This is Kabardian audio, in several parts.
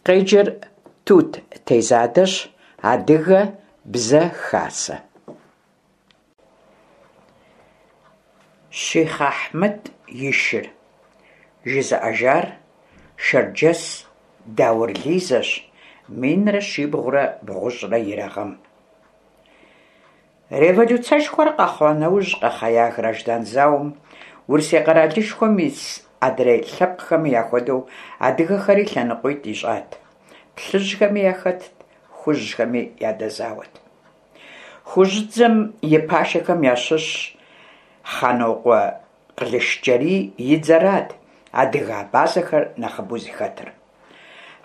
Къеджэр Тут Тезадэщ, Адыгэ бзэ хасэ. Щихъ Ахьмэд и шыр. Жызыӏэжар Шэрджэс Даур Лизэщ, 1393 гъэм. Революцэшхуэр къэхъуа нэужь къэхъея граждан зауэм Урысей къэралышхуэм ис адрей лъэпкъхэми яхуэдэу адыгэхэри лъэныкъуитӏ ищӏат: плъыжьхэми яхэтт, хужьхэми ядэзауэт. Хужьыдзэм и пашэхэм ящыщ Хъанокъуэ Къылышджэрий и дзэрат адыгэ-абазэхэр нэхъыбэу зыхэтыр.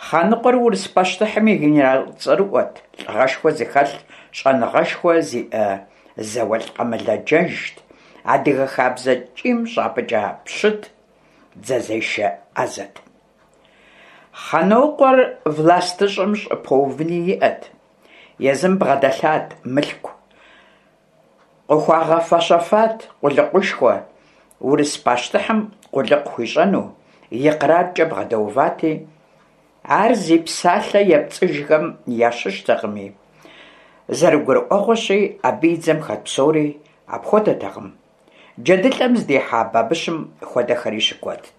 Хъаныкъуэр урыс пащтыхьым и генерал цӏэрыӏуэт, лӏыгъэшхуэ зыхэлъ, щӏэныгъэшхуэ зиӏэ зауэлӏ къэмылэджэжт, адыгэ хабзэ ткӏийм щӏапӏыкӏа пщыт, дзэзешэ ӏэзэт. Хъанокъуэр властыщӏэм щӏыпэувыни иӏэт, езым бгъэдэлъат мылъку, Къыхуагъэфэщэфат къулыкъушхуэ, урыс пащтыхьым къулыкъу хуищӏэну, икъраркӏэ бгъэдэувати, ар зи псалъэ епцӏыжхэм ящыщтэкъыми, зэрыгурыӏуэгъуэщи, абы и дзэм хэт псори апхуэдэтэкъым, джэдылӏэм здихьа бабыщым хуэдэхэри щыкуэдт.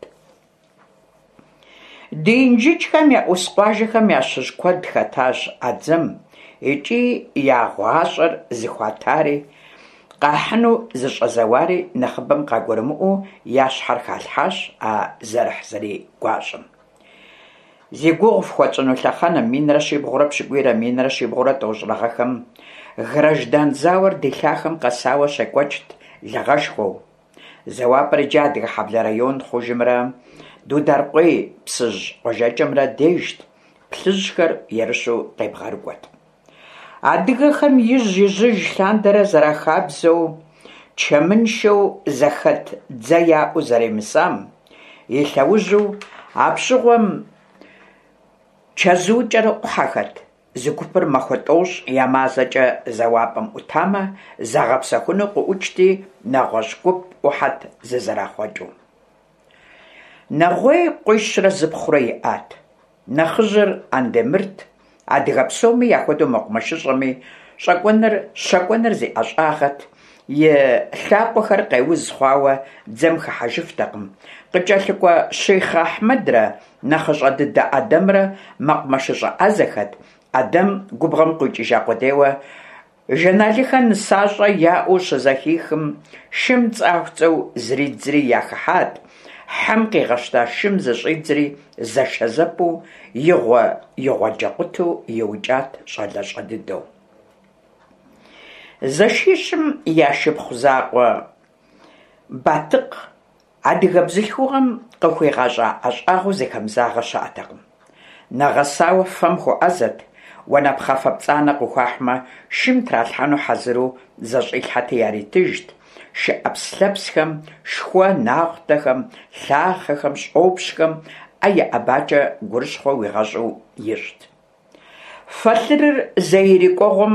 Ди Инжыджхэм я ӏус къуажэхэм ящыщ куэд хэтащ а дзэм икӏи я гъащӏэр зыхуатари, къахьыну зыщӏэзэуари нэхъыбэм къагурымыӏуэу я щхьэр халъхьащ а зэрыхьзэрий гуащӏэм. Зи гугъу фхуэтщӏыну лъэхъэнэм, 1370-рэ 1390-рэ гъэхэм, граждан зауэр ди лъахэм къэсауэ щекӏуэкӏт лыгъэшхуэу. Зэуапӏэр иджы Адыгэ-Хьэблэ район хъужымрэ Дударкъуей Псыжь къуажэкӏэмрэ дежт, плъыжьхэр ерыщу къебгъэрыкӏуэт. Адыгэхэм ижь-ижьыж лъандэрэ зэрахабзэу, чэмыншэу зэхэт дзэ яӏэу зэремысам и лъэужьу, апщыгъуэм чэзукӏэрэ ӏухьэхэт. Зы гупыр махуэ тӏощӏ е мазэкӏэ зэуапӏэм ӏутамэ, загъэпсэхуну къыӏукӏти, нэгъуэщӏ гуп ӏухьэт зызэрахъуэкӏыу. Нэгъуей къуищрэ зыпхъурэ иӏат. Нэхъыжьыр Андемырт, адыгэ псоми яхуэдэу мэкъумэшыщӏэми, щӏэкӏуэныр, щэкӏуэныр зи ӏэщӏагъэт, и лъакъуэхэр къеуз хъуауэ дзэм хыхьэжыфтэкъым. Къыкӏэлъыкӏуэ Щихъ Ахьмэдрэ Нэхъыщӏэ дыдэ Ӏэдэмрэ мэкъумэшыщӏэ ӏэзэхэт. Ӏэдэм губгъуэм къикӏыжа къудейуэ Жэналыхэ нысащӏэ яӏэу щызэхихым, шым цӏахуцӏэу зридзри яхыхьат, хьэм къигъэщта шым зыщӏидзри зэшэзэпӏэу игъуэ-игъуэджэкъутэу иукӏат щӏалэщӏэ дыдэу. Зэшищым я шыпхъу закъуэ Батыкъ Адыгэ бзылъхугъэм къыхуигъэщӏа ӏэщӏагъэу зыхэмызагъэ щыӏэтэкъым. Нэгъэсауэ фэм хуэӏэзэт, уанэпхъафэ пцӏанэ къыхуахьмэ, шым тралъхьэну хьэзыру зэщӏилъхьэти яритыжт, шы ӏэпслъэпсхэм, шхуэ нахъутэхэм, лъахъэхэм, щӏопщхэм ӏэ иӏэбакӏэ гурыщхъуэ уигъэщӏу ищӏт. Фэлъырыр зей ирикӏуэгъуэм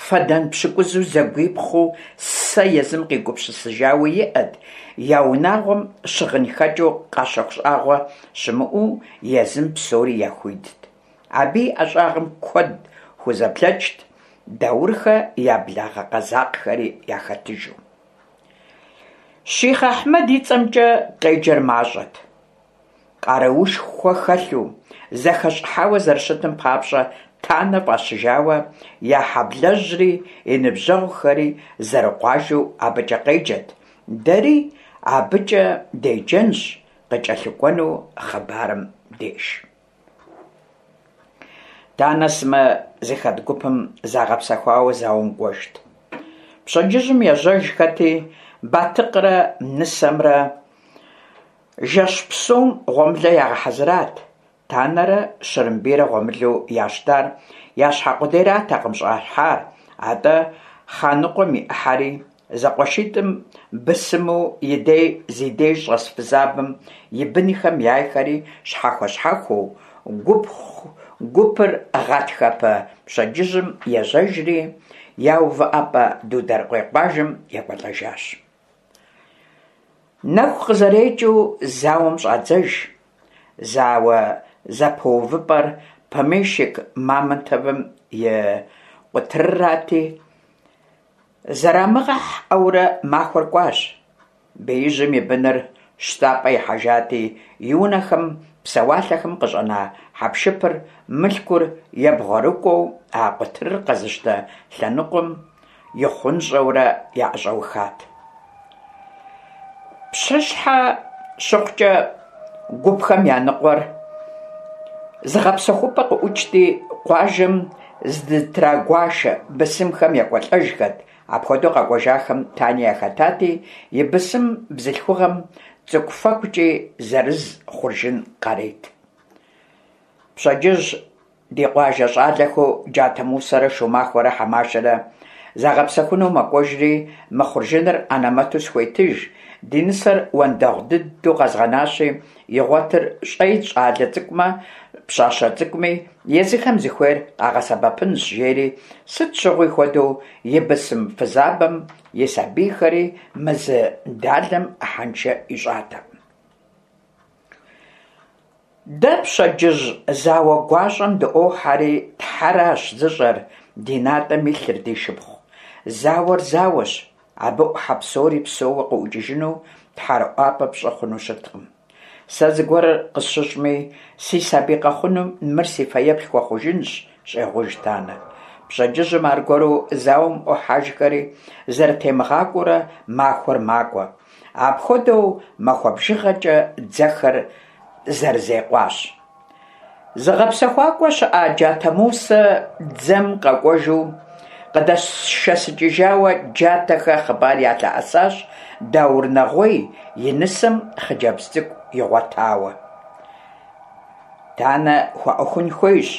фэдэн пщыкӏузу зэгуипхъыу сэ езым къигупсысыжауэ иӏэт, я унагъуэм щыгъынхэкӏыу къащэху щӏагъуэ щымыӏэу езым псори яхуидт. Абы и ӏэщӏагъэм куэд хузэблэкӏт, Даурхэ я благъэ къэзакъхэри яхэтыжу. Щихъ Ахьмэд и цӏэмкӏэ къеджэр мащӏэт. Къаруушхуэ хэлъу, зэхэщӏыхьауэ зэрыщытым папщӏэ Танэ фӏащыжауэ, я хьэблэжьри, и ныбжьэгъухэри зэрыкъуажэу абыкӏэ къеджэт, дэри абыкӏэ деджэнщ къыкӏэлъыкӏуэну хъыбарым деж. Танэ сымэ зыхэт гупым загъэпсэхуауэ зауэм кӏуэжт. Пщэдджыжьым ежьэжхэти, Батыкърэ нысэмрэ Жэщ псом гъуэмылэ ягъэхьэзырат, Танэрэ Щырымбийрэ гъуэмылэу ящтар я щхьэ къудейратэкъым щӏахьар, атӏэ Хъаныкъуэм и ӏыхьэри, зэкъуэшитӏым бысыму и дей зи деж щӏэс фызабэм и бынхэм яйхэри щхьэхуэ-щхьэхуэу, гупыр гъатхэпэ пщэдджыжьым ежьэжри, я увыӏэпӏэ Дударкъуей къуажэм екӏуэлӏэжащ. Нэху къызэрекӏыу зауэм щӏадзэж. Зауэ зэпэувыпӏэр Помещик Мамонтовым и къутырырати, зэрамыгъэхьэурэ махуэр кӏуащ. Беижьым и быныр щтапӏэ ихьэжати, и унэхэм, псэуалъэхэм къыщӏэна хьэпшыпыр, мылъкур ебгъуэрыкӏуэу а къутырыр къэзыщтэ лъэныкъуэм ихъунщӏэурэ яӏэщӏэухат. Пщыхьэщхьэ щыхъукӏэ гупхэм я ныкъуэр зыгъэпсэхупӏэ къыӏукӏти, къуажэм здытрагуашэ бысымхэм екӏуэлӏэжхэт. Апхуэдэу къэкӏуэжахэм Тани яхэтати, и бысым бзылъхугъэм цӏыкӏуфэкӏукӏи зырыз хъуржын къарет. Пщэдджыжь Ди къуажэ щӏалэхэу Джатэ Мусэрэ Шумахуэрэ Хьэмашэрэ загъэпсэхуну мэкӏуэжри, мы хъуржыныр анэмэту схуетыж, ди нысэр уэндэгъу дыдэу къэзгъэнащи, игъуэтыр щӏэи щӏалэ цӏыкӏумэ, пщащэ цӏыкӏуми, езыхэм зыхуейр къагъэсэбэпынщ, жери, сыт щыгъуи хуэдэу и бысым фызабэм и сабийхэри мы зы далэм ӏыхьэншэ ищӏатэкъым. Дэ пщэдджыжь зауэ гуащӏэм дыӏуохьэри, Тхьэращ зыщӏэр ди натӏэм илъыр, ди шыпхъу. Зауэр зауэщ, абы ӏухьэ псори псэууэ къыӏукӏыжыну тхьэрыӏуапӏэ пщӏы хъуну щыткъым. Сэ зыгуэр къысщыщӏми, си сабий къэхъунум мыр си фэеплъ хуэхъужынщ, щӏегъуж Танэ. Пщэдджыжьым аргуэру зауэм ӏуохьэжхэри, зэрытемыгъакӏуэурэ махуэр макӏуэ. Апхуэдэу махуэ бжыгъэкӏэ дзэхэр зэрызекъуащ. Зыгъэпсэхуакӏуэ щыӏа Джатэ Мусэ дзэм къэкӏуэжу къыдэшэсыкӏыжауэ Джатэхэ хъыбар ялъэӏэсащ Даур Нэгъуей и нысэм хъыджэбз цӏыкӏу игъуэтауэ. Танэ хуэӏуэхун хуейщ,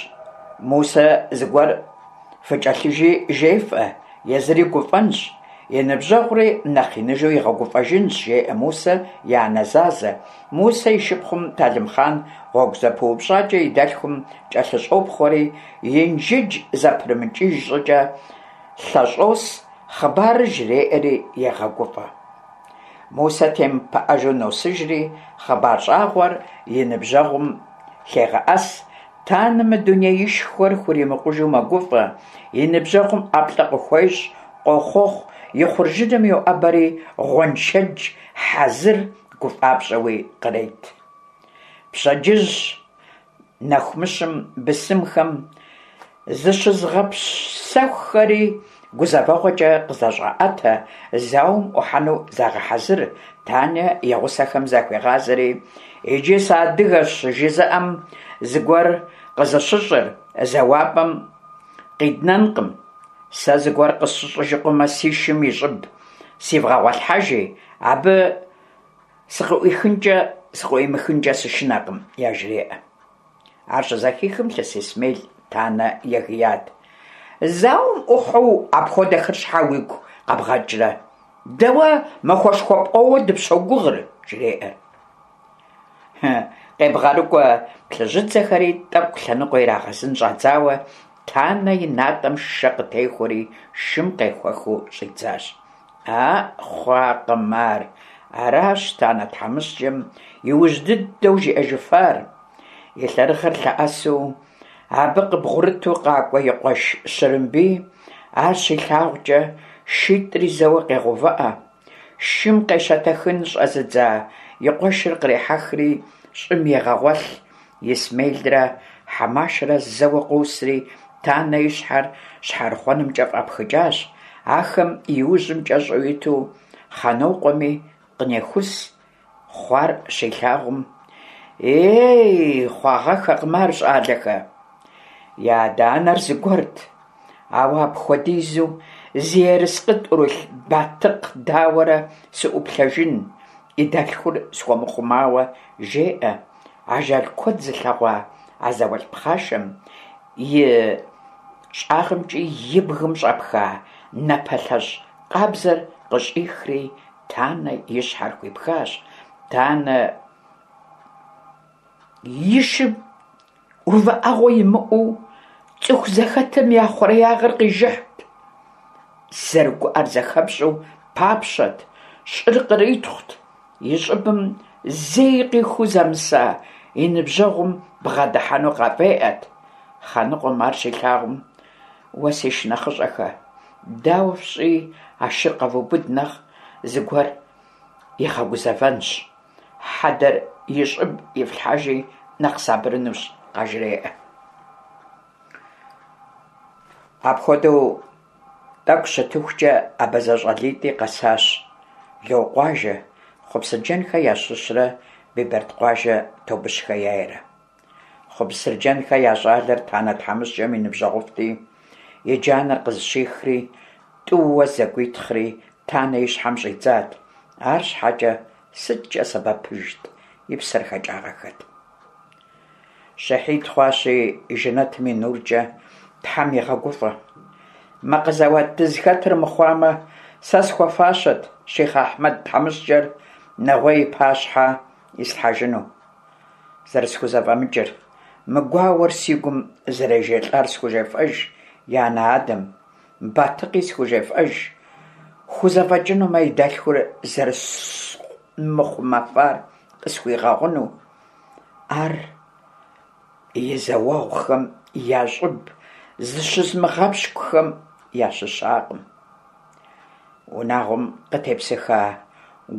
Мусэ зыгуэр фыкӏэлъыжи жефӏэ, езыри гуфӏэнщ, и ныбжьэгъури нэхъ иныжу игъэгуфӏэжынщ, жеӏэ Мусэ и анэ Зазэ. Мусэ и шыпхъум Талымхъан гъуэгу зэпыупщӏакӏэ и дэлъхум кӏэлъыщӏопхъуэри, Инжыдж зэпрымыкӏыж щӏыкӏэ лъэщӏос, хъыбарыр жреӏэри егъэгуфӏэ. Мусэ темыпыӏэжу носыжри, хъыбар щӏагъуэр и ныбжьэгъум лъегъэӏэс, Танэ мы дунеишхуэр хуримыкъужу мэгуфӏэ, и ныбжьэгъум ӏэплӏэ къыхуещӏ, къохъуэхъу, и хъуржыным йоӏэбэри, гъуэншэдж хьэзыр гуфӏапщӏэуи кърет. Пщэдджыжь нэхумыщым бысымхэм зыщызыгъэпсэхухэри гузэвэгъуэкӏэ къызэщӏаӏэтэ, зауэм ӏухьэну загъэхьэзыр, Таня и гъусэхэм захуегъазэри, иджы сыадыгэщ жызыӏэм зыгуэр къызыщыщӏыр зэуапӏэм къиднэнкъым. Сэ зыгуэр къысщыщӏыжыкъумэ, си шым и щӏыб сивгъэгъуэлъхьэжи, абы сыкъыӏуихынкӏэ сыкъыӏуимыхынкӏэ сышынэкъым, яжреӏэ. Ар щызэхихым Лъыс Исмел Танэ егият. Зауэм ӏухьэу апхуэдэхэр щхьэ уигу къэбгъэкӏрэ? Дэ уэ махуэшхуэ пӏоуэ дыпщогугъыр, жреӏэр. Къебгъэрыкӏуэ плъыжьыдзэхэри тӏэкӏу лъэныкъуэ ирагъэзын щӏадзауэ, Танэ и натӏэм шэ къытехуэри шым къехуэхыу щӏидзащ. А, хъуакъым ар. Аращ Танэ тхьэмыщкӏэм иужь дыдэу жиӏэжыфар. И лъэрыгъыр лъэӏэсу, абы къыбгъурыту къакӏуэ и къуэш Щырымбий ар щилъагъукӏэ, шитӏри зэуэ къегъэувыӏэ. Шым къещэтэхын щӏэзыдза и къуэшыр кърехьэхри, щӏым егъэгъуэлъ. Исмелрэ Хьэмашэрэ зэуэ къосри, Танэ и щхьэр щхьэрыхъуэнымкӏэ фӏапхыкӏащ. Ахэм и ужьым кӏэщӏу иту Хъанокъуэми къынехус, хъуар щилъагъум, Ей, хъуагъэххэкъым ар, щӏалэхэ! Я адэ-анэр зыгуэрт, ауэ апхуэдизу зи ерыскъы тӏурылъ Батыкъ дауэрэ сыӏуплъэжын, и дэлъхур схуэмыхъумауэ, жеӏэ. Ажал куэд зылъэгъуа а зауэлӏ пхъашэм и щӏагъымкӏи и бгым щӏэпха напэлъэщӏ къабзэр къыщӏихри, Танэ и щхьэр хуипхащ. Танэ и шым увыӏэгъуэ имыӏэу цӏыху зэхэтым я хъуреягъыр къижыхьт. Зэрыгуӏэр зэхэпщӏэу папщэт, щӏыр къритхъут. И щӏыбым зэи къихуу зэмыса и ныбжьэгъум бгъэдыхьэну къафӏеӏэт. Хъаныкъуэм ар щилъагъум, Уэ си шынэхъыщӏэхэ, дауэ фщӏыи а шыр къэвубыд нэхъ зыгуэр игъэгузэвэнщ, хьэдэр и щӏыб ифлъхьэжи нэхъ сабырынущ, къажреӏэ. Апхуэдэу тӏэкӏу щытыхукӏэ абазэ щӏалитӏи къэсащ Локъуажэ, Хъупсырджэнхэ ящыщрэ Бибэрдкъуажэ Тобыщхэ яйрэ. Хъупсырджэнхэ я щӏалэр Танэ тхьэмыщкӏэм и ныбжьэгъуфӏти, и джанэр къызыщихри, тӏууэ зэгуитхъри Танэ и щхьэм щӏидзат, арщхьэкӏэ сыткӏэ сэбэпыжт, и псэр хэкӏагъэххэт. Щэхьид хъуащи, жэнэтым и нуркӏэ Тхьэм игъэгуфӏэ. Мы къэзэуат дызыхэтыр мыхъуамэ, сэ схуэфащэт щихъ Ахьмэд тхьэмыщкӏэр нэгъуей и пащхьэ ислъхьэжыну. Зэрысхузэфӏэмыкӏыр, мы гуауэр си гум зэрежэлӏар схужефӏэж и анэ-адэм, Батыкъи схужефӏэж, хузэфӏэкӏынумэ и дэлъхур зэрысмыхъумэфар къысхуигъэгъуну. Ар и зауэгъухэм я щӏыб зыщызымыгъэпщкӏухэм ящыщакъым. Унагъуэм къытепсыха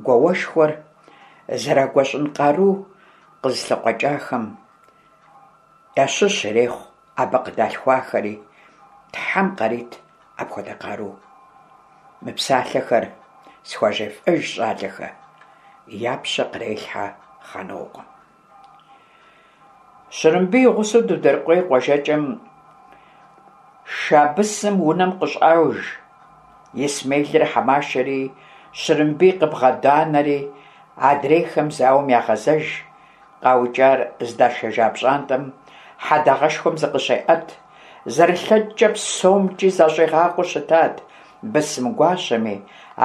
гуауэшхуэр зэрагуэщӏын къару къызылъыкъуэкӏахэм ящыщ ирехъу абы къыдалъхуахэри, Тхьэм къарит апхуэдэ къару. Мы псалъэхэр схуажефӏэж щӏалэхэ, я пщэ кърелъхьэ Хъанокъуэм. Щырымбий и гъусэу Дударкъуей къуажэкӏэм Шабысым унэм къыщӏож. Исмелрэ Хьэмашэри Щырымбий къыбгъэданэри, адрейхэм зауэм ягъэзэж. Къаукӏар здашэжа пщӏантӏэм хьэдагъэшхуэм зыкъыщеӏэт. Зэрылъэкӏкӏэ псомкӏи защӏигъакъуэу щытат бысым гуащэми,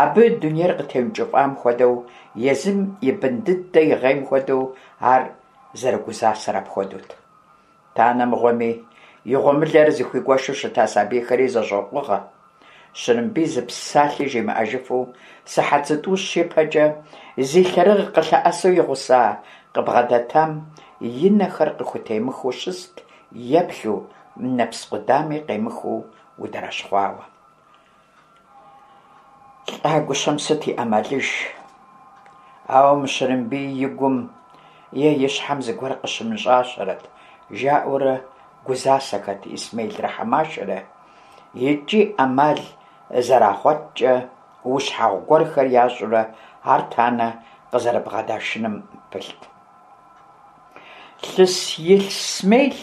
абы дунейр къытеункӏыфӏам хуэдэу, езым и бын дыдэ игъейм хуэдэу ар зэрыгузасэр апхуэдэут. Танэ мыгъуэми, и гъуэмылэр зыхуигуэшу щыта сабийхэри зэщӏокъугъэ. Щырымбий зы псалъи жимыӏэжыфу сыхьэт зытӏущ ипэкӏэ зи лъэрыгъ къылъэӏэсу игъуса къыбгъэдэтам и нэхэр къыхутемыхыу щыст, еплъу, нэпс къудами къемыхыу удэрэщхъуауэ. Лӏа гущэм сыт и ӏэмалыж? Ауэ мы Щырымбий и гум е и щхьэм зыгуэр къыщымыщӏащэрэт, жаӏэурэ гузасэхэт Исмелрэ Хьэмашэрэ, икӏи ӏэмал зэрагъуэткӏэ ущхьэгъу гуэрхэр ящӏурэ ар Танэ къызэрыбгъэдашыным пылът. Лъыс Исмел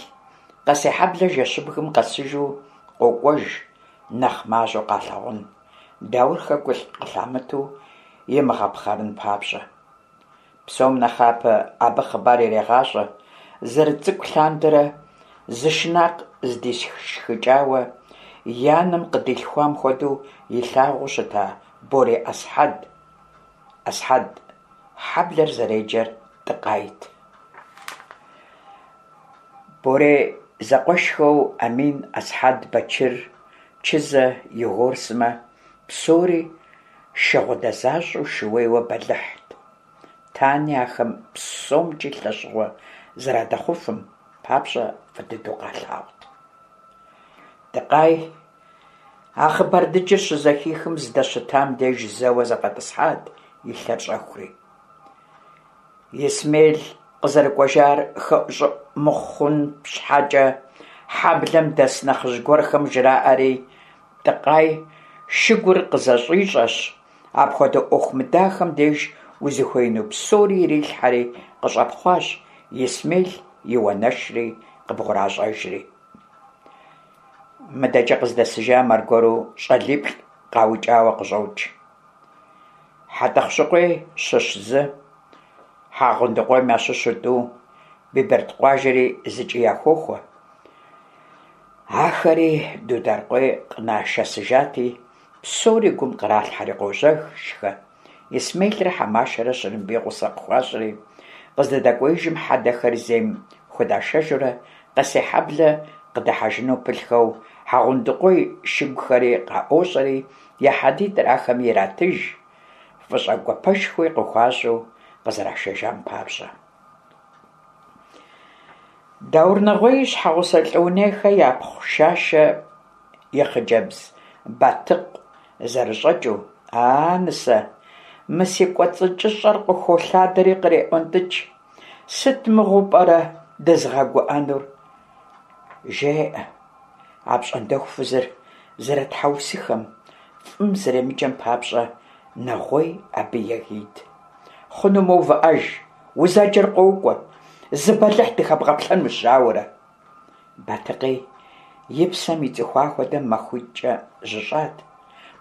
Къэсейхьэблэ жэщыбгым къэсыжу къокӏуэж, нэхъ мащӏэу къалъагъун, Даурхэ гу къылъамытэу имыгъэпхъэрын папщӏэ. Псом нэхъапэ абы хъыбар ирегъащӏэ, зэрыцӏыкӏу лъандэрэ зы шынакъ зыдишхыкӏауэ, и анэм къыдилъхуам хуэдэу илъагъуу щыта Борей ӏэсхьэд. ӏэсхьэд хьэблэр зэреджэр Тӏыкъайт. Борей зэкъуэшхэу Амин, Ӏэсхьэд, Бэчыр, Чызэ, Егор сымэ псори шыгъудэ защӏэу шууейуэ бэлыхьт. Тани ахэм псомкӏи лъэщыгъуэ зэрадэхъуфым папщӏэ фӏы дыдэу къалъагъут. Тӏыкъай а хъыбар дыджыр щызэхихым здэщытам деж зэуэ зэфӏэтӏысхьат и лъэр щӏэхури. Исмел къызэрыкӏуэжар хэӏущӏыӏу мыхъун щхьэкӏэ, хьэблэм дэс нэхъыжь гуэрхэм жраӏэри, Тӏыкъай шыгур къызэщӏищӏэщ, апхуэдэ ӏуэху мыдахэм деж узыхуеину псори ирилъхьэри къыщӏэпхъуащ, Исмел и уанэшри къыбгъуращӏэжри. Мыдэкӏэ къыздэсыжам аргуэру щӏалиплӏ къаукӏауэ къыщӏокӏ. Хьэтӏэхъущыкъуей щыщ зы, Хьэгъундыкъуейм ящыщу тӏу, Биберд къуажэри зыкӏи яхохуэ. Ахэри Дударкъуей къынашэсыжати, псори гум къралъхьэри къожьэжхэ. Исмелрэ Хьэмашэрэ Щырымбий гъусэ къыхуащӏри, къыздэдэкӏуеижым хьэдэхэр зейм худашэжурэ Къэсейхьэблэ къыдыхьэжыну пылъхэу Хьэгъундыкъуей шыгухэри къаӏуощӏэри, я хьэдитӏыр ахэми иратыж, фӏыщӏэ гуапэшхуи къыхуащӏу къызэрашэжам папщӏэ. Даур Нэгъуей и щхьэгъусэ Лӏыунейхэ япхъу Шашэ и хъыджэбз Батыкъ зэрыщӏэкӏыу, А, нысэ, мы си кӏуэцӏыкӏыщӏэр къыхолъадэри къреӏуэнтӏыкӏ, сыт мыгъуэу пӏэрэ дызыгъэгуӏэнур? жеӏэ. Апщӏондэху фызыр зэрытхьэусыхэм, фӏым зэремыджэм папщӏэ Нэгъуей абы егийт. Хъунумэ увыӏэж, узэджэр къокӏуэ, зы бэлыхь дыхэбгъэплъэнущ ауэрэ. Батыкъи и псэм ицӏыхуа хуэдэ махуитӏкӏэ жьыщӏат,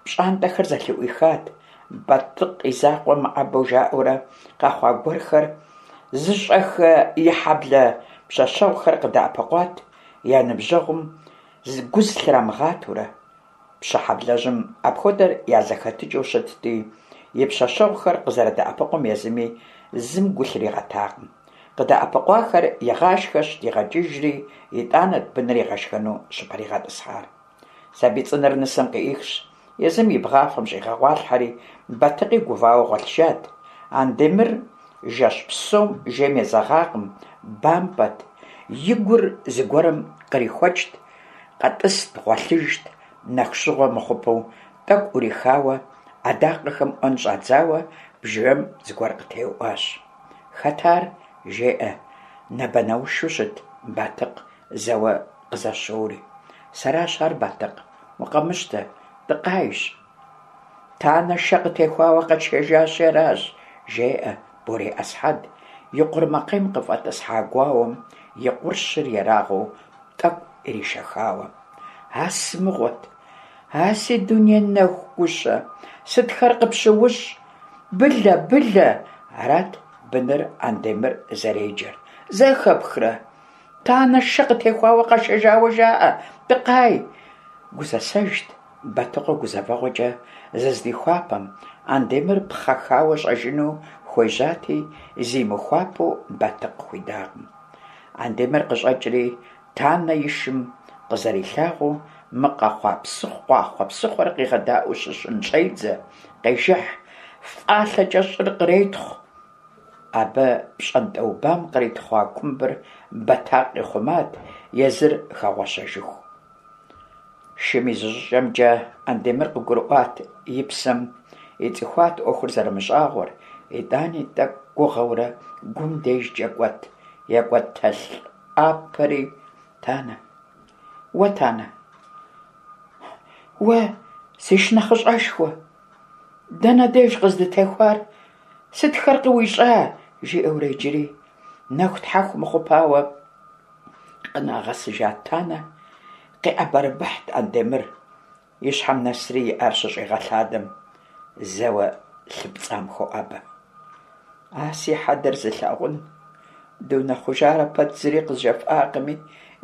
пщӏантӏэхэр зэлъыӏуихат, Батыкъ и закъуэ мыӏэбэу жаӏэурэ къэхъуа гуэрхэр зыщӏэхэ и хьэблэ пщэщэгъухэр къыдэӏэпыкъуат, я ныбжьэгъум гу зылърамыгъатэурэ. Пщы хьэблэжьым апхуэдэр я зэхэтыкӏэу щытти, и пщэщэгъухэр къызэрыдэӏэпыкъум езыми зым гу лъригъэтакъым. Къыдэӏэпыкъуахэр игъашхэщ, дигъэкӏыжри, итӏанэт быныр игъэшхэну щыпэригъэтӏысхьар. Сабий цӏынэр нысэм къыӏихщ, езым и бгъафэм щӏигъэгъуалъхьэри, Батыкъи гувауэ гъуэлъыжат. Андемыр жэщ псом жейм езэгъакъым, бампӏэт, и гур зыгуэрым кърихуэкӏт, къэтӏыст, гъуэлъыжт, нэху щыгъуэ мыхъупэу тӏэкӏу ӏурихауэ, ӏэдакъэхэм ӏуэн щӏадзауэ бжэм зыгуэр къытеуӏуащ. Хэт ар? жеӏэ нэбэнэушу щыт Батыкъ зэуэ къызэщоури. Сэращ ар, Батыкъ, укъэмыщтэ, Тӏыкъайщ. Танэ шэ къытехуауэ къэтшэжащи аращ, жеӏэ Борей ӏэсхьэд, и къурмакъейм къыфӏэтӏысхьа гуауэм и къурщыр ерагъыу тӏэкӏу иришэхауэ. А сымыгъуэт, а си дуней нэху гущэ, сытхэр къыпщыущӏ? Былэ, Былэ! Арат быныр Андемыр зэреджэр. Зэхэпхрэ? Танэ шэ къытехуауэ къашэжауэ жаӏэ, Тӏыкъай! Гузэсэжт Батыкъуэ гузэвэгъуэкӏэ зыздихуапэм, Андемыр пхъэхауэ щӏэжыну хуежьати, зимыхуапэу Батыкъ хуидакъым. Андемыр къыщӏэкӏри, Танэ и шым къызэрилъагъуу, мы къэхъуа къуахъуэ-псыхъуэр къигъэдаӏуэу щыщын щӏедзэ, къежыхь, фӏалъэкӏэ щӏыр къретхъу. Абы пщӏантӏэубам къритхъуа кумбыр Бэтакъ ихъумат, езыр хэгъуэщэжыху. Шым и зыщӏыкӏэмкӏэ Андемыр къыгурыӏуат и псэм ицӏыхуат ӏуэхур зэрымыщӏагъуэр, итӏани тӏэкӏу гугъэурэ гум дежкӏэ кӏуэт, екӏуэтэлӏапэри, Танэ, уэ, Танэ, уэ, си шынэхъыщӏэшхуэ, дэнэ деж къыздытехуар, сытхэр къыуищӏа? жиӏэурэ иджыри нэху тхьэху мыхъупауэ къынагъэсыжа Танэ къиӏэбэрэбыхьт Андемыр, и щхьэм нэсри и ӏэр щыщӏигъэлъадэм, зэуэ лъы пцӏам хоӏэбэ. А си хьэдэр зылъагъун, дунэхъужарэ пэт зыри къызжефӏакъыми,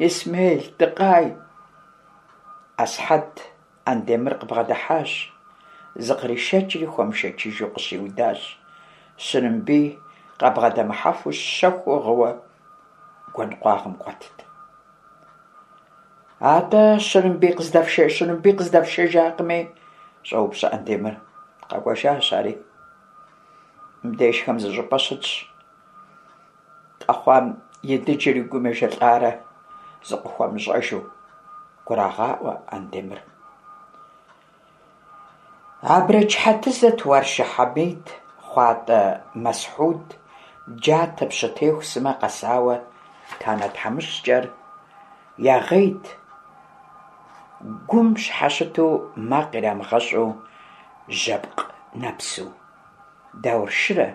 Исмел, Тӏыкъай! Ӏэсхьэд Андемыр къыбгъэдыхьащ, зыкъришэкӏри хуэмышэчыжу къыщиудащ. Щырымбий къабгъэдэмыхьэфу щэхуу гъыуэ гуэн къуагъым къуэтт. Атӏэ, Щырымбий къыздэфшэ, Щырымбий къыздэфшэжакъыми? щӏоупщӏэ Андемыр. Къэкӏуэжащ ари. Мыбдежхэм зыщӏыпӏэ щытщ. Къэхъуам и дыджыр и гум ежэлӏарэ зыкъыхуэмыщӏэжу, гурагъаӏуэ Андемыр. Абрэдж Хьэтызэ, Туаршы Хьэмид, Хъуатӏэ Мэсхьуд, Джатэ Пщытеху сымэ къэсауэ Танэ тхьэмыщкӏэр ягъейт, гум щхьэщыту макъ ирамыгъэщӏу жьэпкъ нэпсу. Дауршырэ,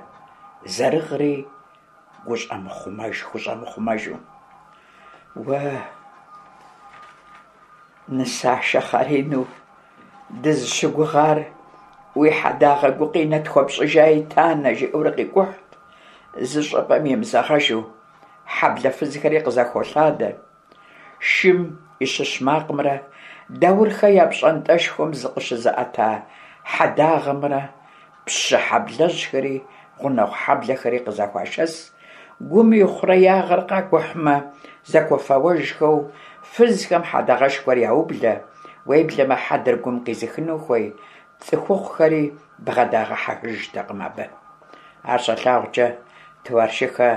зэрыгъри гущӏэмыхъумэж, хущӏэмыхъумэжу. Уэ, нысашэ хъаринэу дызыщыгугъар уи хьэдагъэ гукъинэ тхуэпщӏыжаи, Танэ, жиӏэурэ къикӏухьт, зы щӏыпӏэм имызэгъэжу, хьэблэ фызхэри къызэхолъадэ. Шым и щыщ макъымрэ Даурхэ я пщӏантӏэшхуэм зыкъыщызыӏэта хьэдагъэмрэ пщы хьэблэжьхэри гъунэгъу хьэблэхэри къызэхуашэс, гум и хъуреягъыр къакӏухьмэ, зэкуэфэуэжхэу фызхэм хьэдагъэшхуэр яублэ, уеблэмэ хьэдэр гум къизыхыну хуей цӏыхухъухэри бгъэдагъэхьэжтэкъым абы. Ар щалъагъукӏэ, Туаршыхэ.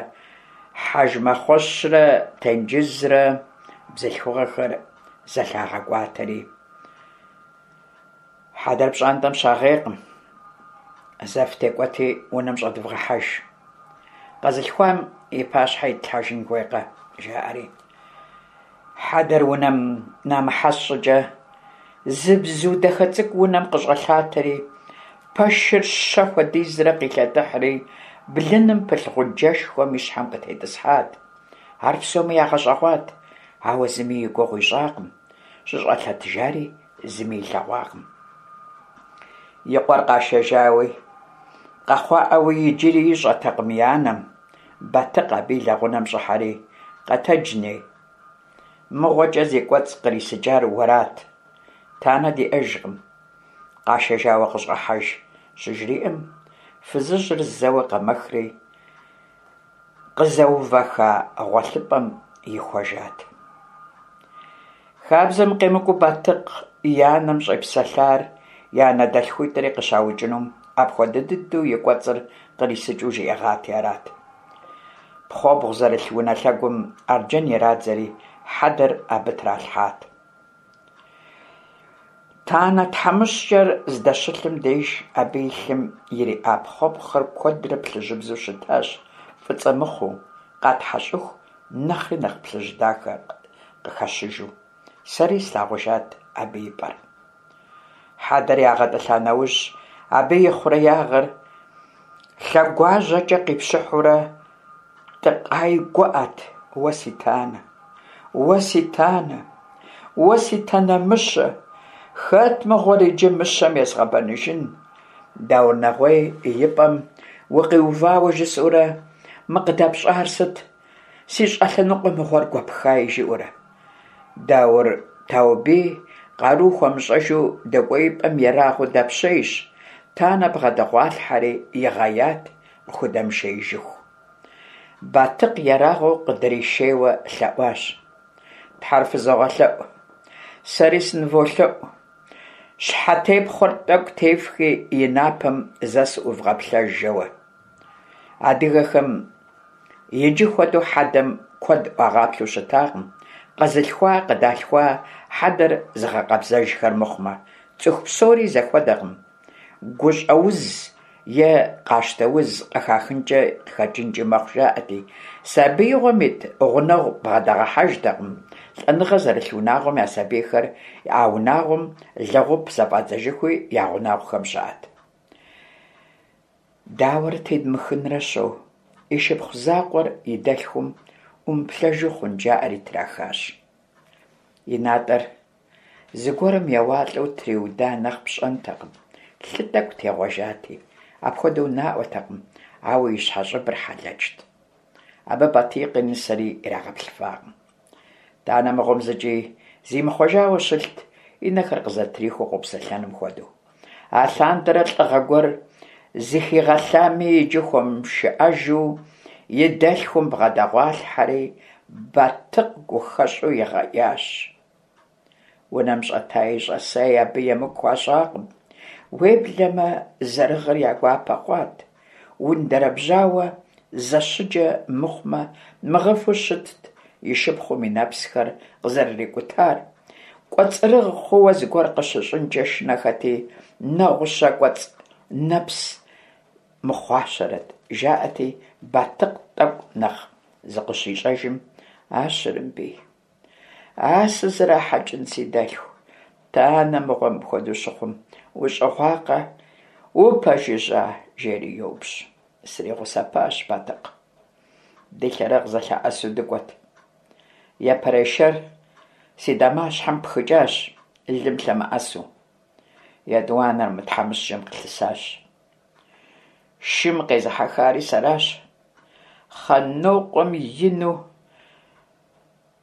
Хьэжмэхъуэщрэ Тенджызрэ бзылъхугъэхэр зэлъагъэкӏуатэри, хьэдэр пщӏантӏэм щагъейкъым, зэ фытекӏуэти унэм щӏэдывгъэхьэж. Къэзылъхуам и пащхьэ итлъхьэжын хуейкъэ, жаӏэри. Хьэдэр унэм намыхьэс щӏыкӏэ, зы бзу дахэ цӏыкӏу унэм къыщӏэлъатэри, пэшыр щэ хуэдизрэ къилъэтыхьри, блыным пылъ гъуджэшхуэм и щхьэм къытетӏысхьат. Ар псоми ягъэщӏэгъуат, ауэ зыми и гугъу ищӏакъым, щыщӏэлъэтыжари зыми илъэгъуакъым. И къуэр къашэжауи, къэхъуаӏауи иджыри ищӏэтэкъым и анэм. Батыкъ абы и лэгъунэм щӏыхьэри, къэтэдж, ней. Мыгъуэкӏэ зи кӏуэцӏ кърисыкӏар уэрат. Танэ диӏэжкъым. Къашэжауэ къыщӏэхьэж, щыжриӏэм, фызыжьыр зэуэ къэмэхри, къызэувэха гъуэлъыпӏэм ихуэжат. Хабзэм къемыкӏуу Батыкъ и анэм щӏепсэлъар и анэдэлъхуитӏри къыщаукӏынум апхуэдэ дыдэу и кӏуэцӏыр кърисыкӏыу жиӏэгъати арат. Пхъуэбгъу зэрылъ унэ лъэгум арджэн ирадзэри хьэдэр абы тралъхьат. Танэ тхьэмыщкӏэр здэщылъым деж абы и лъым ириӏа пхъуэбгъухэр куэдрэ плъыжьыбзэу щытащ, фӏыцӏэ мыхъуу, къатхьэщӏыху нэхъри нэхъ плъыжь дахэ къыхэщыжу. Сэри слъагъужат абы и пӏэр. Хьэдэр ягъэтӏылъа нэужь, абы и хъуреягъыр лъэгуажьэкӏэ къипщыхьурэ Тӏыкъай гуӏэт, Уэ си Танэ! Уэ си Танэ! Уэ си Танэ мыщэ! Хэт мыгъуэр иджы мыщэм езгъэбэныжын? Даур Нэгъуей и пӏэм укъиувауэ жысӏэурэ, мы къыдэпщӏар сыт? Си щӏэлъэныкъуэ мыгъуэр гуэпхаи, жиӏэурэ. Даур Таубий къару хуэмыщӏэжу дэкӏуеипӏэм ерагъыу дэпщейщ, Танэ бгъэдэгъуалъхьэри игъеят къыхудэмышеижыху. Батыкъ ерагъыу къыдришейуэ лъэӏуащ. Тхьэр фызогъэлъэӏу, сэри сыныволъэӏу, щхьэтепхъуэр тӏэкӏу тефхи и напэм зэ сыӏувгъэплъэж жэуэ. Адыгэхэм иджы хуэдэу хьэдэм куэд ӏуагъаплъэу щытакъым, къэзылъхуа, къыдалъхуа хьэдэр зыгъэкъэбзэжхэр мыхъумэ, цӏыху псори зэхуэдэкъым. Гущӏэуз е къащтэуз къыхахынкӏэ къыхэкӏынкӏи мэхъу жаӏэти, сабиигъуэм ит гъунэгъу бгъэдагъэхьэжтэкъым, лӏэныгъэ зэрылъ унагъуэм я сабийхэр а унагъуэм лэгъуп зэфӏадзэжыхуи я гъунэгъухэм щыӏэт. Дауэрэ тедмыхынрэ що, и шыпхъу закъуэр и дэлъхум ӏумыплъэжу хъун жаӏэри трахащ. И натӏэр зыгуэрым еуалӏэу триуда нэхъ пщӏэнтэкъым, лъы тӏэкӏу тегъуэжати, апхуэдэу наӏуэтэкъым, ауэ и щхьэщӏыбыр хьэлэчт. Абы Батикъи нысэри ирагъэплъыфакъым. Танэ мыгъуэм зыкӏи зимыхъуэжауэ щылът, и нэхэр къызэтрихыу къопсэлъэным хуэдэу. Алъандэрэ лӏыгъэ гуэр зыхигъэлъами, иджы хуэмышыӏэжу и дэлъхум бгъэдэгъуалъхьэри, Батыкъ гухэщӏу игъеящ. Унэм щӏэтаи щӏэсаи абы емыкӏу хуащӏакъым. Уеблэмэ, зэрыгъыр я гуапэ хъуат. Ундэрэбжьауэ зэщыджэ мыхъумэ, мыгъыфу щытт и шыпхъум и нэпсхэр къызэрырикӏутар. Кӏуэцӏрыгъ хъууэ зыгуэр къыщыщӏынкӏэ шынэхэти, нэгъущэ кӏуэцӏ нэпс мыхъуащэрэт, жаӏэти, Батыкъ тӏэкӏу нэхъ зыкъыщищӏэжым, А Щырымбий! А сызэрахьэкӏын си дэлъху, Танэ мыгъуэ мыпхуэдэу щыхъум, ущӏыгъуакъэ, упэжыжьа? жери йоупщӏ. Сригъусэпащ Батыкъ. Ди лъэрыгъ зэлъэӏэсу дыкӏуэт. Япэрей шэр си дамащхьэм пхыкӏащ, лым лъэмыӏэсу. Етӏуанэр мы тхьэмыщкӏэм къылъысащ. Шым къезыхьэхари сэращ. Хъанокъуэм ину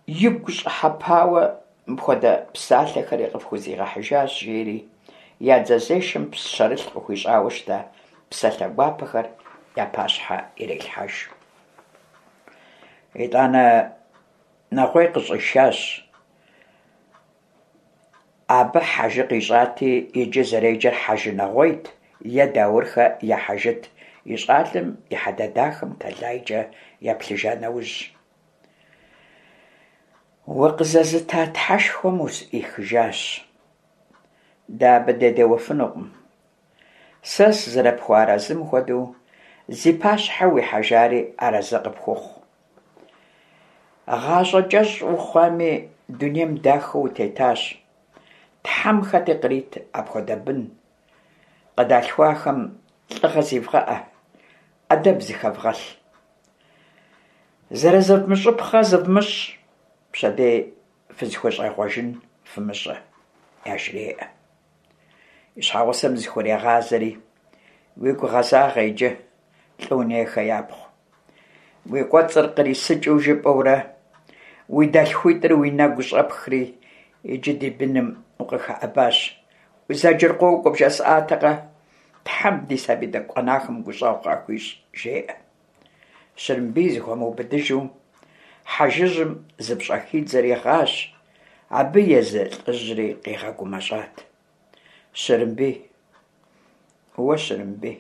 игу щӏыхьэпауэ мыпхуэдэ псалъэхэри къыфхузигъэхьыжащ, жери я дзэзешэм пщэрылъ къыхуищӏауэ щыта псалъэ гуапэхэр я пащхьэ ирелъхьэж. Итӏанэ Нэгъуей къыщӏишащ. Абы Хьэжы къищӏати, иджы зэреджэр Хьэжы Нэгъуейт е Даурхэ я Хьэжыт, и щӏалэм и хьэдэ дахэм тэлайкӏэ еплъыжа нэужь. Укъызэзыта Тхьэшхуэм усӏихыжащ. Дэ абы дедеуэфынукъым. Сэ сызэрыпхуэарэзым хуэдэу зи пащхьэ уихьэжари арэзы къыпхухъу. Гъащӏэ кӏэщӏ ухъуами, дунейм дахэу утетащ. Тхьэм хэти кърит апхуэдэ бын. Къыдалъхуахэм лӏыгъэ зивгъэӏэ, ӏэдэб зыхэвгъэлъ. Зэрызывмыщӏыпхъэ зывмыщӏ, пщэдей фызыхущӏегъуэжын фымыщӏэ, яжреӏэ. И щхьэгъусэм зыхурегъазэри, уигу гъэзагъэ иджы, Лӏыунейхэ япхъу. Уи кӏуэцӏыр кърисыкӏыу жыпӏэурэ, уи дэлъхуитӏыр уи нэгу щӏэпхри, иджы ди быным укъыхэӏэбащ. Узэджэр къокӏуэ бжесӏатэкъэ? Тхьэм ди сабий тӏэкӏу къэнахэм гущӏэгъу къахуищӏ, жеӏэ. Щырымбий зыхуэмыубыдыжу хьэжыжьым зыпщӏэхидзэри гъащ, абы езы лӏыжьри къигъэгумэщӏат. Щырымбий, уэ Щырымбий,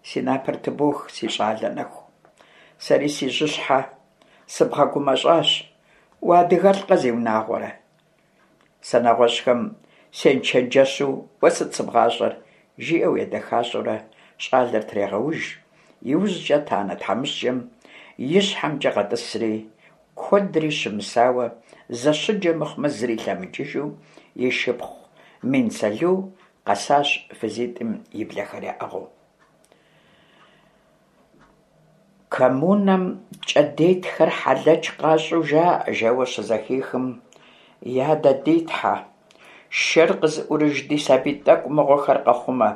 си напэр тыбох, си щӏалэ нэху. Сэри си жьыщхьэ сыбгъэгумэщӏащ, уадыгэлӏкъэ, зиунагъуэрэ? Сэ нэгъуэщӏхэм сенчэнджэщу уэ сыт сыбгъащӏэр? жиӏэу едэхащӏэурэ щӏалэр трегъэуж, иужькӏэ танэ тхьэмыщкӏэм и щхьэмкӏэ къэтӏысри, куэдри щымысауэ, зэщыджэ мыхъумэ зыри лъэмыкӏыжу, и шыпхъу Минсэлу къэсащ фызитӏым и блэхэр яӏыгъыу. Коммунэм кӏэдетхэр хьэлэч къащӏу жаӏэ, жэуэ щызэхихым, Я дэ ди Тхьэ, шэр къызыӏурыж ди сабий тӏэкӏу мыгъуэхэр къэхъумэ,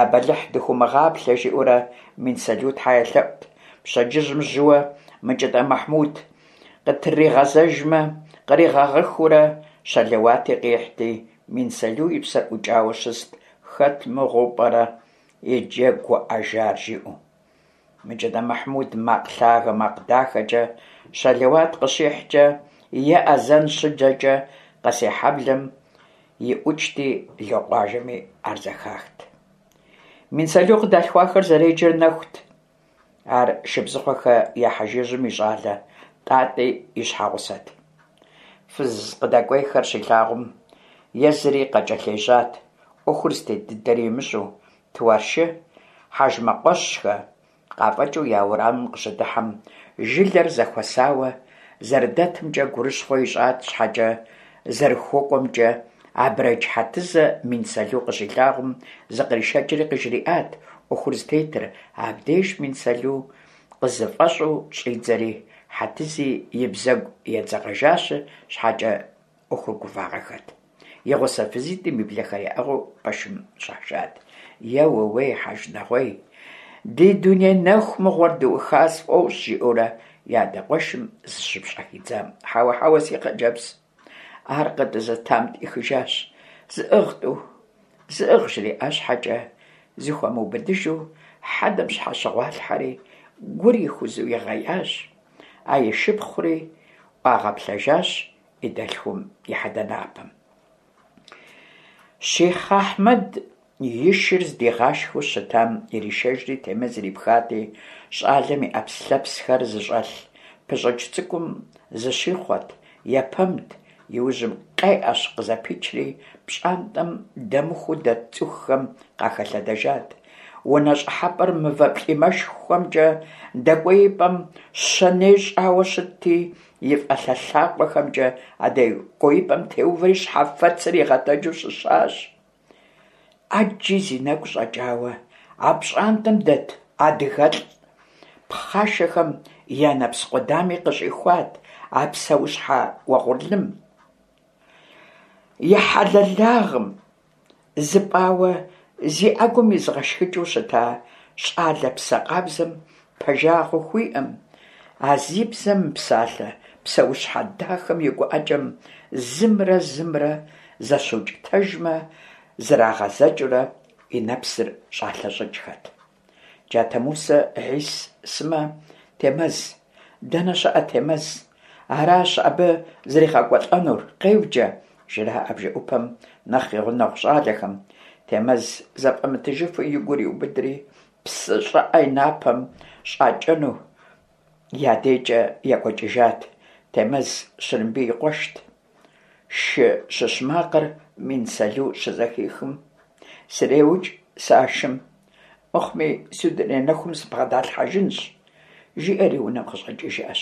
я бэлыхь дыхыумыгъаплъэ, жиӏэурэ Минсэлу тхьэ елъэӏут. Пщэдджыжьым жьыуэ Мыкӏытӏэ Мэхьмуд къытригъэзэжмэ, къригъэгъыхыурэ щэлэуати къихьти, Минсэлу и псэр ӏукӏауэ щыст, хэт мыгъуэу пӏэрэ иджы гуӏэжар, жиӏэу. Мыкӏытӏэ Мэхьмуд макъ лъагэ, макъ дахэкӏэ щэлэуат къыщихькӏэ е азэн щыджэкӏэ Къэсейхьэблэм иӏукӏти, Локъуажэми ар зэхахт. Минсэлу къыдалъхуахэр зэреджэр Нэхут. Ар Шыбзыхъуэхэ я хьэжыжьым и щӏалэ Тӏатӏи и щхьэгъусэт. Фыз къыдэкӏуейхэр щилъагъум, езыри къакӏэлъежьат, ӏуэхур зытет дыдэри имыщӏэу, Туаршы, Хьэжмэкъуэщхэ къафӏэкӏыу я уэрамым къыщыдыхьэм, жылэр зэхуэсауэ зэрыдэтымкӏэ гурыщхъуэ ищӏат щхьэкӏэ, зэрыхуэкӏуэмкӏэ Абрэдж Хьэтызэ Минсэлу къыщилъагъум, зыкъришэкӏри къыжриӏат ӏуэхур зытетыр, абдеж Минсэлу къызыфӏэщӏу щӏидзэри, Хьэтызи и бзэгу едзэкъэжащ щхьэкӏэ ӏуэхур гувагъэххэт. И гъусэ фызитӏым и блэхэр яӏыгъыу пэшым щӏашат. Е ууей, Хьэжы-Нэгъуей, ди дуней нэху мыгъуэр дыуха сфӏощӏ, жиӏэурэ и адэ къуэшым зыщыпщӏэхидзам. Хьэуэ, хьэуэ, си хъыджэбз, ар къыдызэтам тӏихыжащ. Зыӏыгъ, тӏу, зыӏыгъ, жриӏа щхьэкӏэ, зыхуэмыубыдыжу хьэдэм щхьэщыгъуалъхьэри, гур ихузу игъеящ. А и шыпхъури ӏуагъэплъэжащ и дэлъхум и хьэдэ напэм. Щихъ Ахьмэд и шыр здигъашхэу щытам иришэжри Темэз ирипхати, щӏалэм и ӏэпслъэпсхэр зыщӏэлъ пыщӏыкӏ цӏыкӏум зыщихъуэт, епэмт, иужьым къеӏэщ къызэпичри, пщӏантӏэм дэмыхуу дэт цӏыхухэм къахэлъэдэжат. Унэ щӏыхьэпӏэр мывэ плӏимэшхуэмкӏэ дэкӏуеипӏэм щэней щӏауэ щытти, и фӏалъэ лъакъуэхэмкӏэ а дэкӏуеипӏэм теувэри щхьэфэцыр игъэтэджу щыщащ. ӏэджи зи нэгу щӏэкӏауэ, а пщӏантӏэм дэт адыгэлӏ пхъашэхэм я нэпс къудами къыщӏихуат а псэущхьэ уэгъурлым. И хьэлэлагъым зыпӏауэ зи ӏэгум изыгъэшхыкӏыу щыта щӏалэ псэ къабзэм пэжагъыу хуиӏэм, а зи бзэ мыпсалъэ псэущхьэ дахэм и гуӏэкӏэм зымрэ зымрэ зэщукӏытэжмэ, зрагъэзэкӏыурэ и нэпсыр щӏалъэщӏыкӏхэт. Джатэ Мусэ, Хьис сымэ, Темэз. Дэнэ щыӏэ Темэз? Аращ абы зригъэкӏуэлӏэнур, къеуджэ, жраӏэ бжэӏупэм нэхъ и гъунэгъу щӏалэхэм. Темэз зэфӏэмытыжыфу и гур иубыдри, псы щӏыӏэ и напэм щӏакӏэну. я дежкӏэ екӏуэкӏыжат, Темэз Щырымбий и къуэшт. Шы щыщ макъыр Минсэлу щызэхихым, среукӏ сэ а шым, мыхъуми си дуней нэхум сыбгъэдалъхьэжынщ, жиӏэри унэм къыщӏэкӏыжащ.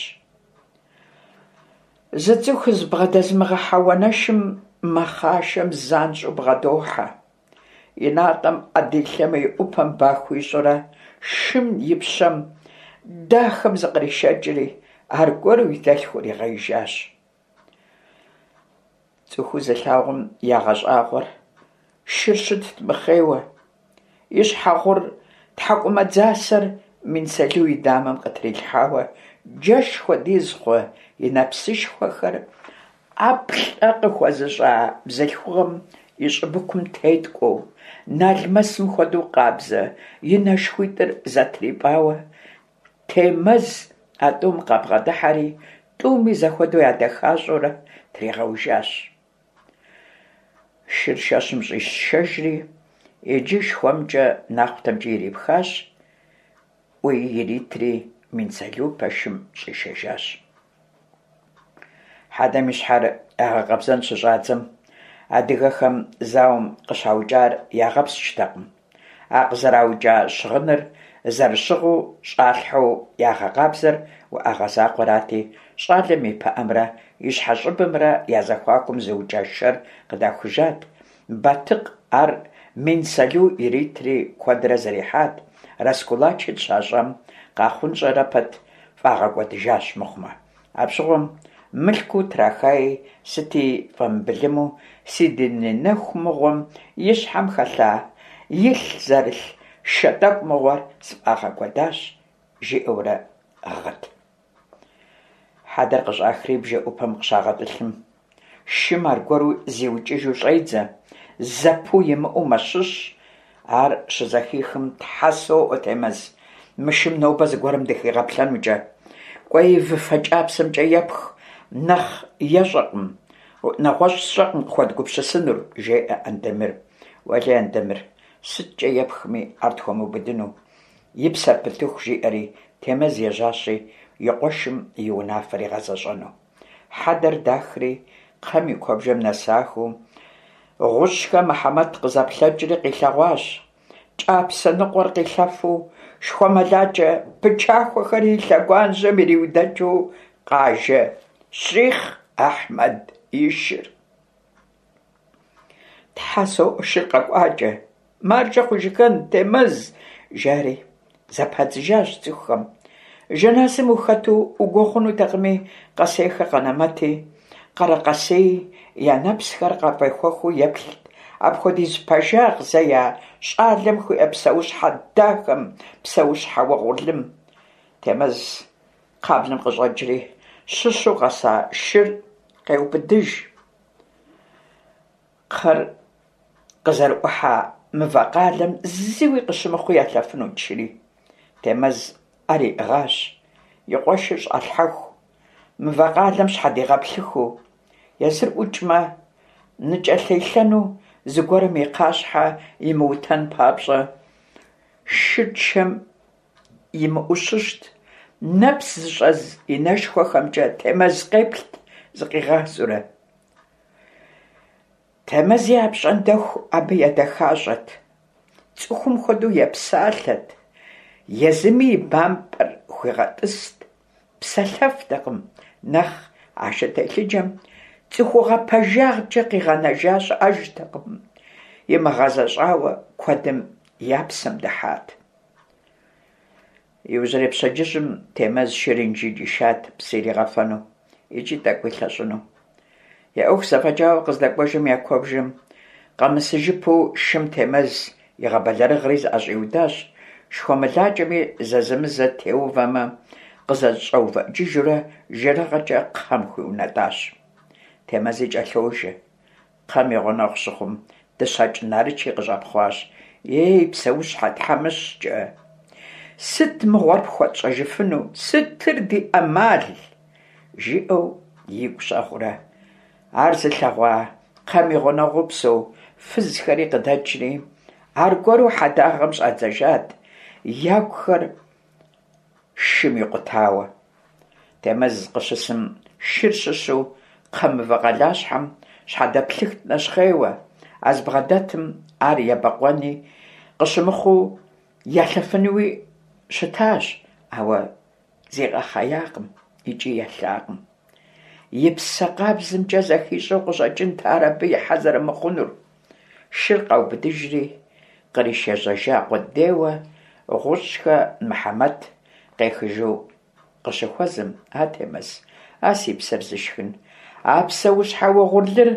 Зы цӏыху зыбгъэдэзымыгъэхьэ уанэшым мэхъашэм занщӏэу бгъэдохьэ. И натӏэм ӏэ дилъэмэ, и ӏупэм ба хуищӏурэ, шым и пщэм дахэм зыкъришэкӏри, аргуэру и дэлъхур игъеижащ. Цӏыхуу зылъагъум ягъэщӏагъуэр шыр щытт мыхъейуэ, и щхьэ гъур тхьэкӏумэ дзасэр Минсэлу и дамэм къытрилъхьауэ, джэш хуэдиз хъу и нэпсышхуэхэр ӏэплӏэ къыхуэзыщӏа бзылъхугъэм и щӏыбыкум теткӏуэу, налмэсым хуэдэу къабзэ и нэшхуитӏыр зэтрипӏауэ, Темэз а тӏум къабгъэдыхьэри, тӏуми зэхуэдэу ядэхащӏэурэ тригъэужащ. Шыр шэщым щӏишэжри, иджы шхуэмкӏэ нахъутэмкӏи ирипхащ, ӏуи иритри Минсэлу пэшым щӏишэжащ. Хьэдэм и щхьэр ягъэкъэбзэн щыщӏадзэм, адыгэхэм зауэм къыщаукӏар ягъэпскӏтэкъым. А къызэраукӏа щыгъыныр зэрыщыгъыу щӏалъхьэу ягъэкъабзэр уӏэгъэ закъуэрати, щӏалэм и пыӏэмрэ и щхьэщӏыбымрэ я зэхуакум зыукӏа шэр къыдахужат. Батыкъ ар Минсэлу иритри куэдрэ зэрихьат, раскулачить щащӏам къахъунщӏэрэ пэт фӏагъэкӏуэдыжащ мыхъумэ. Апщыгъуэм мылъкуу трахаи сыти фӏэмыбылыму си дуней нэху мыгъуэм и щхьэм хэлъа илъ зэрылъ шэ тӏэкӏу мыгъуэр сфӏагъэкӏуэдащ, жиӏэурэ гъыт. Хьэдэр къыщӏахри бжэӏупэм къыщагъэтӏылъым, шым аргуэру зиукӏыжу щӏедзэ, зэпыу имыӏэу мэщыщ. Ар щызэхихым, Тхьэ соӏуэ, Темэз, мы шым нобэ зыгуэрым дыхигъэплъэнукӏэ. Кӏуэи выфэ кӏапсэмкӏэ епх, нэхъ ещӏэкъым, нэгъуэщӏ сщӏэкъым къыхуэдгупсысынур, жеӏэ Андемыр. Уэлей, Андемыр, сыткӏэ епхми, ар тхуэмыубыдыну. И псэр пытыху, жиӏэри, Темэз ежьащи, и къуэшым и унафэр игъэзэщӏэну. Хьэдэр дахри, кхъэм и куэбжэм нэсахэу, Гъущӏхэ Мыхьэмэт къызэплъэкӏри къилъэгъуащ. Кӏапсэ ныкъуэр къилъэфу, шхуэмылакӏэ пычахуэхэри и лъэгуажьэм ириудэкӏыу къажэ Щихъ Ахьмэд и шыр. Тхьэ соӏуэ, шыр къэкӏуакӏэ, маржэ хъужыхэн, Темэз, жари зэпадзыжащ цӏыхухэм. Жэназым ухэту угуо хъунутэкъыми, Къэсейхэ Къэнэмэти, Къэрэкъэсеи я нэпсхэр къафӏехуэхыу еплът апхуэдиз пэжагъ зэя щӏалэм хуиӏэ псэущхьэ дахэм, псэущхьэ уэгъурлым. Темэз кхъаблэм къыщӏэкӏри, щыщу къэса шыр къеубыдыж. Кхъэр къызэрыӏухьа мывэ къалэм зыуи къыщымыхъуу ялъэфынут шыри. Темэз ӏэр иӏыгъащ, и къуэшыр щӏалъхьэху, мывэ къалэм щхьэдигъэплъыхыу, езыр ӏукӏмэ, ныкӏэлъелъэну зыгуэрым и кхъащхьэ имыутэн папщӏэ, шыр чэм имыӏущыщт, нэпс зыщӏэз и нэшхуэхэмкӏэ Темэз къеплът зыкъигъазэурэ. Темэзи апщӏондэху абы едэхащӏэт, цӏыхум хуэдэу епсалъэт, езыми и бампӏэр хуигъэтӏыст, псэлъэфтэкъым, нэхъ а шы телъыджэм цӏыхугъэ пэжагъкӏэ къигъэнэжа щыӏэжтэкъым, имыгъэзэщӏауэ куэдым я псэм дыхьат. Иужьрей пщэдджыжьым Темэз шыр Инжыдж ишат псы иригъэфэну икӏи тӏэкӏу илъэщӏыну. Я ӏуэху зэфӏэкӏауэ къыздэкӏуэжым я куэбжэм къэмысыжыпэу шым Темэз игъэбэлэрыгъри зыӏэщӏиудащ, шхуэмылакӏэми зэзэмызэ теувэмэ, къызэщӏэувыӏыкӏыжурэ жэрыгъэкӏэ кхъэм хуиунэтӏащ. Темэзи кӏэлъожэ. Кхъэм и гъунэгъу щыхъум, Дыщэкӏ Нарычи къыщӏэпхъуащ. Ей, псэущхьэ тхьэмыщкӏэ! Сыт мыгъуэр пхуэтщӏэжыфыну, сытыр ди ӏэмал? жиӏэу игу щӏэгъурэ. Ар зылъэгъуа кхъэм и гъунэгъуу псэу фызхэри къыдэкӏри, аргуэру хьэдагъэм щӏадзэжат, ягухэр шым икъутауэ. Темэз къыщысым шыр щыщу кхъэ мывэ къалащхьэм щхьэдэплъыхт нэщхъейуэ, а зыбгъэдэтым ар ебэкъуэни къыщымыхъуу елъэфынуи щытащ, ауэ зигъэхъеякъым икӏи елъакъым. И псэ къабзэмкӏэ зэхищӏэу къыщӏэкӏынт ар абы ихьэ зэрымыхъунур. Шыр къаубыдыжри, къришэжьэжа къудейуэ Гъущӏхэ Мыхьэмэт къехыжу къыщыхуэзэм, А Темэз, а си псэр зышхын, а псэущхьэ угъурлыр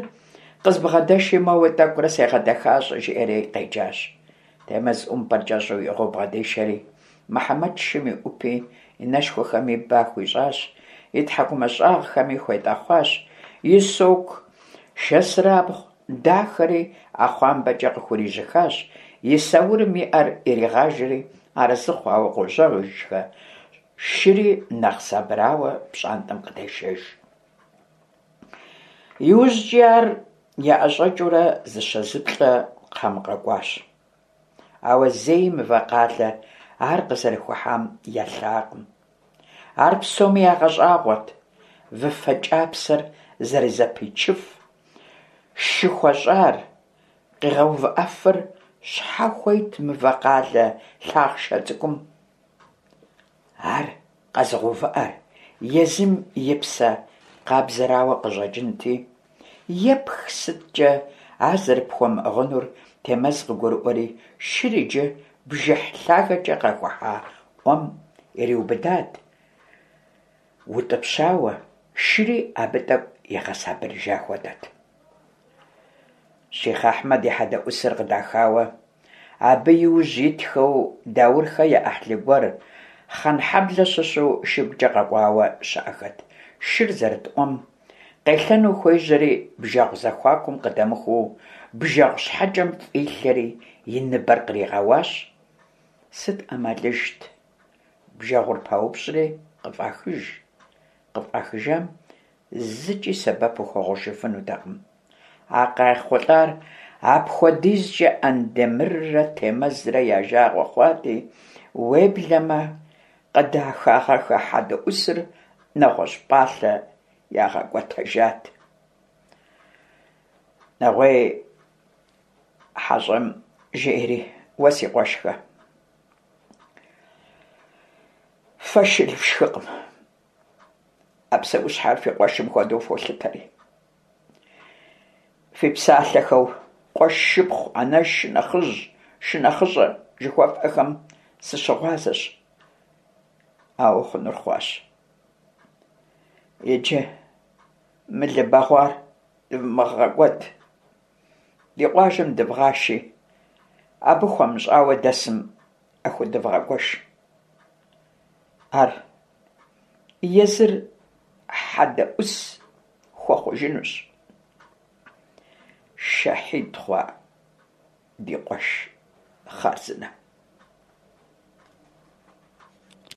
къызбгъэдэши моуэ тӏэкӏурэ сегъэдэхащӏэ, жиӏэри къеджащ. Темэз ӏумпӏэр кӏэщӏу иӏыгъыу бгъэдишэри, Мыхьэмэт шым и ӏупи и нэшхуэхэми ба хуищӏащ, и тхьэкӏумэ щӏагъхэми хуетӏэхъуащ, и соку шэсырабгъу дахэри ӏэхъуамбэкӏэ къыхурижьыхащ, и саурым и ӏэр иригъажэри арэзы хъуауэ къожьэжхэ, шыри нэхъ сабырауэ пщӏантӏэм къыдешэж. Иужькӏи ар яӏэщӏэкӏыурэ зыщэ-зыплӏэ кхъэм къэкӏуащ. Ауэ зэи Мывэкъалэ ар къызэрыхухьам елъакъым. Ар псоми ягъэщӏагъуэрт, выфэ кӏапсэр зэрызэпичыф шы хуэщӏар, къигъэувыӏэфыр щхьэ хуейт Мывэкъалэ лъахъшэ цӏыкӏум? Ар къэзыгъэувыӏэр езым и псэ къабзэрауэ къыщӏэкӏынти, епх сыткӏэ ар зэрыпхуэмыӏыгъынур Темэз къыгурыӏуэри, шыр иджы бжыхь лъагэкӏэ къэхухьа ӏуэм ириубыдат, утӏыпщауэ, шыри абы тӏэкӏу игъэсабырыжа хуэдэт. Щихъ Ахьмэд и хьэдэӏусыр къыдахауэ, абы и ужь итхэу Даурхэ я ӏыхьлы гуэр Хъанхьэблэ щыщу шыгукӏэ къэкӏуауэ щыӏэхэт. Шыр зэрыт ӏуэм къелъэну хуежьэри, бжэгъу зэхуакум къыдэмыхуу, бжэгъу щхьэкӏэм фӏилъэри и ныбэр къригъэуащ. Сыт ӏэмалыжт? Бжэгъур паупщӏри къыфӏахыж. Къыфӏахыжам зыкӏи сэбэп ухуэхъужыфынутэкъым. А къайхъулӏар апхуэдизкӏэ Андемыррэ Темэзрэ я жагъуэ хъуати, уеблэмэ къыдахагъэххэ хьэдэӏусыр нэгъуэщӏ пӏалъэ ягъэкӏуэтэжат. Нэгъуей хьэщӏэм жиӏэри, Уэ си къуэшхэ, фэ шыл фшхыкъым. А псэущхьэр фи къуэшым хуэдэу фолъытэри. Фи псалъэхэу къуэш, шыпхъу, анэш, шынэхъыжь, шынэхъыщӏэ жыхуэфӏэхэм сыщыгъуазэщ. Ауэ хъунур хъуащ. Иджы мы лы бэгъуар дывмыгъэкӏуэд. Ди къуажэм дывгъаши, абы хуэмыщӏауэ дэсым яхуэдывгъэгуэш. Ар езыр хьэдэӏус хуэхъужынущ. Шэхьид хъуа ди къуэш хъарзынэм.